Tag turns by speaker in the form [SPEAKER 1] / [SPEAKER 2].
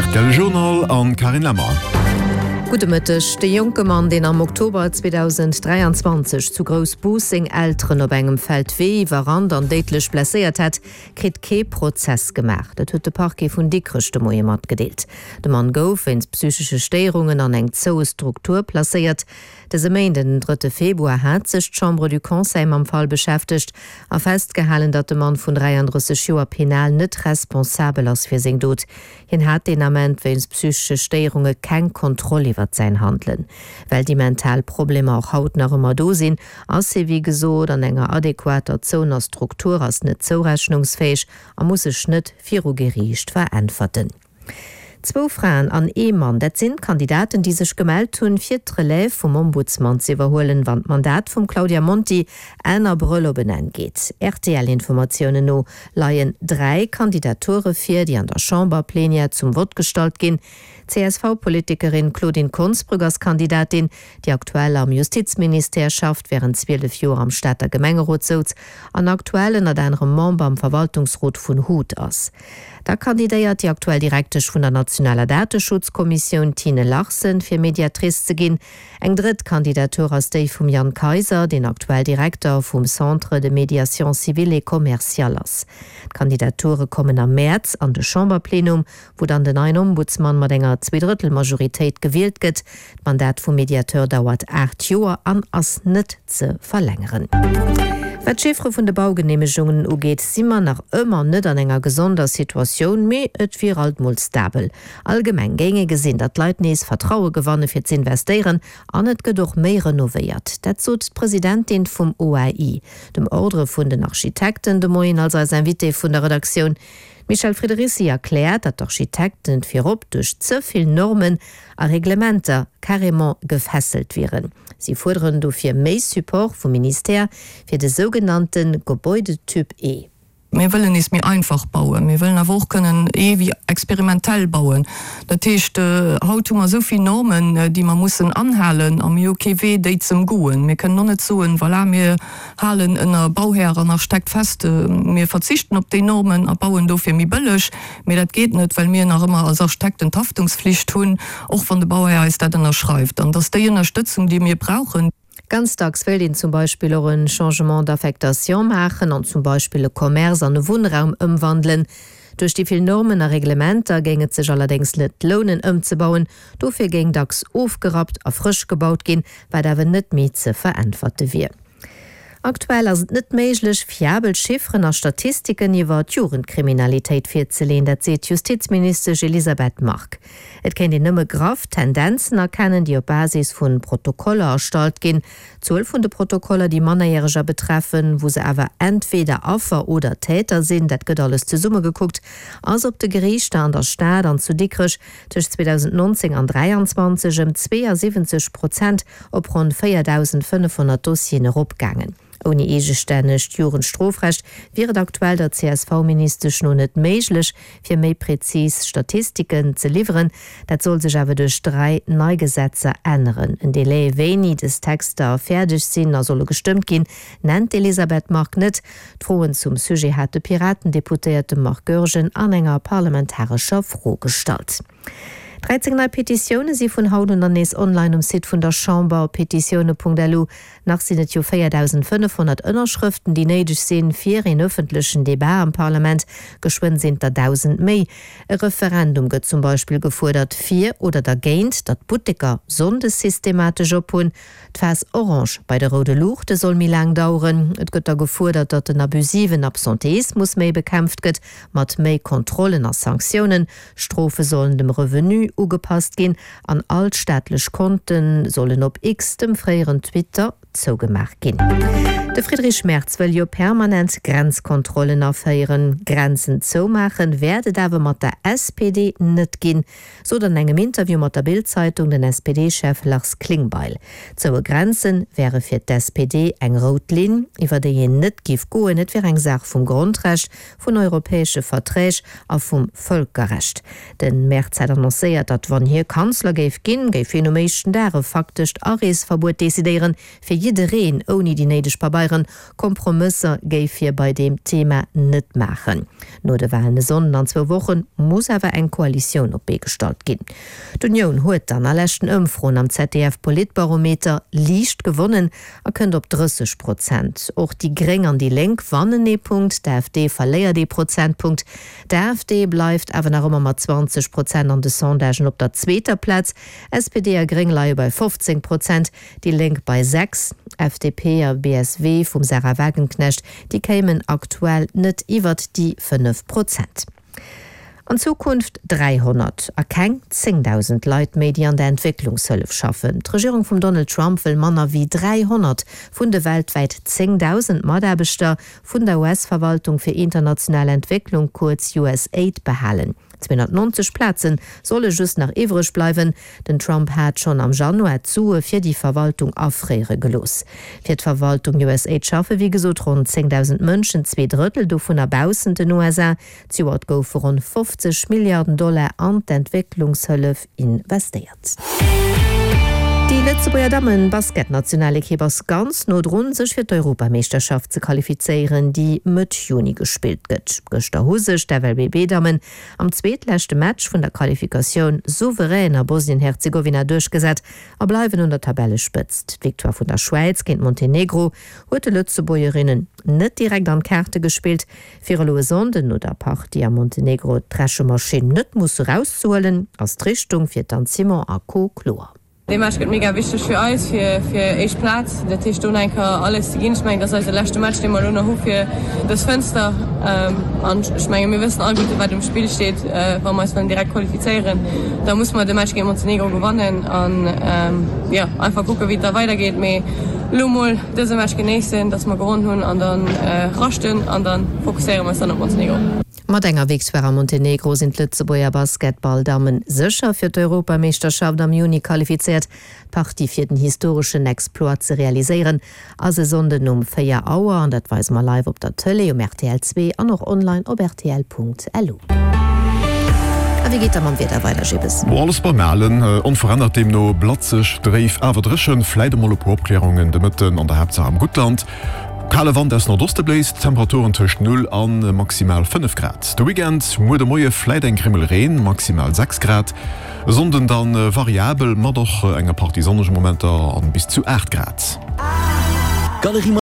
[SPEAKER 1] Rtl Journal an Carine Lemmer.
[SPEAKER 2] Gudde Mëtteg. De jonke Mann, deen am Oktober 2023 zu Groussbus seng Elteren op engem Feldwee iwwerrannt an déidlech blesséiert hat, kritt kee Prozess gemaach. Dat huet de Parquet vun Dikrech de Moie matgedeelt. De Mann gouf wéinst psychesche Stéierungen an eng zoue Struktur placéiert. Dëse Méinden, den drëtte Februar, hat sech d'Chambre du Conseil mam Fall beschäftegt a festgehalen, datt de Mann vun 33 Joer penal net responsabel ass fir seng Dot. Hien hat deen Ament wéinst psychesche Stéierunge keng Kontroll iwwert säin Handelen. Well déi mental Problemer och haut nach ëmmer do sinn, ass hie wéi gesot an enger adequater zouener Struktur, ass net zourechnungsfäeg a muss sech net viru Geriicht veräntwerten. Zwou Fraen an ee Mann, dat sinn d'Kandidaten, déi sech gemellt hunn, fir d'Relève vum Ombudsman z'iwwerhuelen, wann d'Mandat vum Claudia Monti Enn Abrëll op en Enn geet. RTL-Informatiounen no leien 3 Kandidature vir, déi an der Chamber-Plenière zum Vott gestallt ginn. D'CSV-Politikerin Claudine Konsbrück ass Kandidatin, déi aktuell am Justizministère schafft, wärend 12 Joer am Stater Gemengerot souz an aktuell ënnert anerem Member am Verwaltungsrot vun hut ass. Da kandidéiert déi aktuell Direktesch vun der nationaler Dateschutzkommissioun, Tine Larsen, fir Mediatrice ze ginn. Eng drëtt Kandidatur ass déi vum Jan Kayser, deen aktuell Direkter vum Centre de médiation civile et commerciale ass. D'Kandidature kommen am Mäerz an de Chamberplenum, wou dann den neien Ombudsmann mat enger Zweedrëttelmajoritéit gewielt gëtt. D'Mandat vum Mediateur dauert 8 Joer an ass net ze verlängeren. Wat d'Chiffere vun de Baugeneemegungen ugeet, si mer nach ëmmer net an enger gesonder Situatioun, mee et wier alt mol stabel. Allgemeng géing ee gesinn, datt d'Leit nees Vertraue gewanne fir z'investéieren an et gëtt och méi renovéiert. Dat sot d'Presidentin vum OAI, dem Ordre vun den Architekten, de Moien als eis Invitée vun der Redaktioun. D'Michèle Friedericy erkläert, datt d'Architekten virop duerch ze vill Normen a Reglementer carrément gefesselt wieren. Si fuerderen dofir méi Support vum Ministère fir de sougenannte Gebäudetyp E.
[SPEAKER 3] Mir wëllen nees méi einfach bauen. Mir wëllen awer och kënnen ee wéi experimentell bauen. Dat heescht, haut hu mer esou vill Normen, déi mer mussen anhalen a mir hu kee Wee, déi ze ëmgoen. Mir kënnen och net soen, voilà, mir halen ënner Bauhär an Architekt fest, mir verzichten op déi Normen a bauen dofir méi bëlleg. Mee dat geet net, well mir nach ëmmer als Architekten d'Haftungsflicht hunn, och wann de Bauhär eis dat ënnerschreift. An dass déi Ënnerstëtzung, déi mir brauchen.
[SPEAKER 2] Ganz dacks wéilt een zum Beispill och en Changement d'affectation maachen an zum Beispill e Commerce an e Wunnraum ëmwandelen. Duerch déi vill Normen a Reglementer géing et sech allerdéngs net lounen ëmzebauen. Dofir géing dacks ofgerappt a frësch gebaut ginn, wat awer net méi ze veräntwerte wier. Aktuell ass et net méiglech, fiabel Chifferen a Statistiken iwwer d'Jugendkriminalitéit virzeleeën, dat seet d'Justizministesch Elisabeth Margue. Et kéint een nëmme graff Tendenzen erkennen, déi op Basis vu Protokoller erstallt ginn. D'Zuel vun de Protokoller, déi Mannerjäreger betreffen, wou se awer entweder Affer oder Täter sinn, dat gëtt alles zesummegekuckt, ass op de Geriichter an der Stad an zu Dikrech tëscht 2019 an 2023 ëm 72 Prozent op ronn 4.500 Dossieren eropgaangen. Ouni eegestännegt Jugendstrofrecht wier et aktuell der CSV-Ministesch no net méiglech, fir méi prezis Statistiken ze liwweren. Dat soll sech awer duerch 3 nei Gesetzer änneren. En Delai, wéini des Texter fäerdeg sinn a solle gestëmmt ginn, nennt d'Elisabeth Margue net. D'Froen zum Sujet hat de Piraten-Deputéierte Marc Goergen an enger parlamentarescher Fro gestallt. 13 nei Petitioune si vun haut un dann nees online um Site vun der Chamber op petitioune.lu. Nach sinn et jo 4.500 Ënnerschrëften, déi néideg sinn, fir een ëffentlechen Debat am Parlament. Geschwënn sinn et der 1.000 méi. E Referendum gëtt zum Beispill gefuerdert fir oder dergéint, datt d'Butteker sonndes systematesch op hunn. D'Phas orange bei de roude Luuchte soll méi laang daueren. Et gëtt da gefuerdert, datt den abusiven Absenteismus méi bekämpft gëtt, mat méi Kontrollen a Sanktiounen. Strofe sollen dem Revenu ugepasst ginn an all d'staatlech Konte sollen op X, dem fréieren Twitter, zougemaach ginn. De Friedrich Merz wëll jo permanent Grenzkontrollen aféieren. Grenzen zoumaachen wäert et awer mat der SPD net ginn, sot an engem Interview mat der Bild-Zeitung den SPD-Chef Lars Klingbeil. Zoue Grenze wäre fir d'SPD eng rout Linn, iwwer déi een net giff goen. Et wier eng Saach vum Grondrecht, vun europäesche Verträg a vum Vëlkerrecht. De Merz hat annoncéiert, datt wann hie Kanzler géif ginn, géif hien um éischten Dag e faktescht Areesverbuet decidéieren, fir. jiddereen ouni déi néideg Pabeieren. Kompromësser géif hie bei deem Thema net maachen. No de Walen e Sonnden an zwou Woche muss awer eng Koalitioun op d'Bee gestallt ginn. D'Unioun huet an a leschten Ëmfroen am ZDF-Politbarometer liicht gewonnen a kënnt op 30 Prozent. Och déi Gréng an déi Lénk wannen ee Punkt, d'AfD verléiert ee Prozentpunkt. D'AfD bleift awer nach ëmmer mat 20 Prozent an de Sondagen op der zweeter Plaz. SPD a Gréng leie bei 15 Prozent, déi Lénk bei 6. FDP a BSW vum Sarah Wagenknecht, déi kéimen aktuell net iwwert déi 5 Prozent. An Zukunft 300 a keng 10.000 Leit méi, déi an der Entwécklungshëllef schaffen. D'Regierung vum Donald Trump wëll manner wéi 300 vun de weltwäit 10.000 Mataarbechter vun der US-Verwaltung fir international Entwécklung, kuerz USAID, behalen. 290 Plaze solle just nach iwwreg bleiwen. Den Trump hat schonn am Januar d'Sue fir déi Verwaltung afréiere gelooss. Fir d'Verwaltung USAID schaffe wéi gesot ronn 10.000 Mënschen, zwee Drëttel dovunner baussent den USA. Zejoert goufe ronn 50 Milliarden Dollar an d'Entwécklungshëllef investéiert. Déi Lëtzebuerger Dammen-Basketnationalekipp ass ganz no drun, sech fir d'Europameeschterschaft ze qualifizéieren, déi Mëtt Juni gespillt gëtt. Gëschter hu sech d'FLBB-Dammen am zweetleschte Match vun der Qualifikatioun souverän a Bosnien-Herzegowina duerchgesat a bleiwen un der Tabellespëtzt. D'Victoire vun der Schwäiz géint Montenegro huet de Lëtzebuergerinnen net direkt an d'Kaarte gespillt. Fir elo e Sonnden no der Partie a Montenegro d'Rechemaschinn net musse rauszehuelen, ass d'Richtung fir d'Anne Simon a Co kloer.
[SPEAKER 4] Dee Match gëtt mega wichteg fir eis, fir fir éischt Plaz. Dat heescht do nach eng Kéier alles ze ginn. Ech mengen, dat ass eise leschte Match, dee mer elo nach hu fir dës Fënster. An ech menge mir wëssen alleguerte wat um Spill steet. Wa mer eis wëllen direkt qualifizéieren, da musse mer de Match géint Montenegro gewannen an jo einfach kucke wéi et da weidergeet. Mee elo mol dëse Match genéissen, dass mer gewonn hunn an dann raschten an dann fokusséiere mer eis dann op Montenegro.
[SPEAKER 2] Mat enger Victoire a Montenegro sinn d'Lëtzebuerger Basketball-Dammen sécher fir d'Europameeschterschaft am Juni qualifizéiert. D'Partie fir den historeschen Exploit ze realiséieren ass e Sonnden um 4 Auer an dat weise mer live op der Tëlee um rtl 2 an och online op rtl.lu. A wéi geet da mam Wieder weider, Jibbes?
[SPEAKER 1] Mo alles beim Alen, onverännert deemno blatzeg, dréif, awer dréchen, fläit emol e puer Opkläerungen de Mëtten an der Haaptsaach am Guttland. Kale Wand aus Nordoste bléist, Temperaturen tëscht 0 a maximal 5 Grad. De Weekend, muer de Moie fläit eng Grimmel Reen, maximal 6 Grad. E Sonnden dann variabel mat och enger Partie sonnege Momenter an bis zu 8 Grad.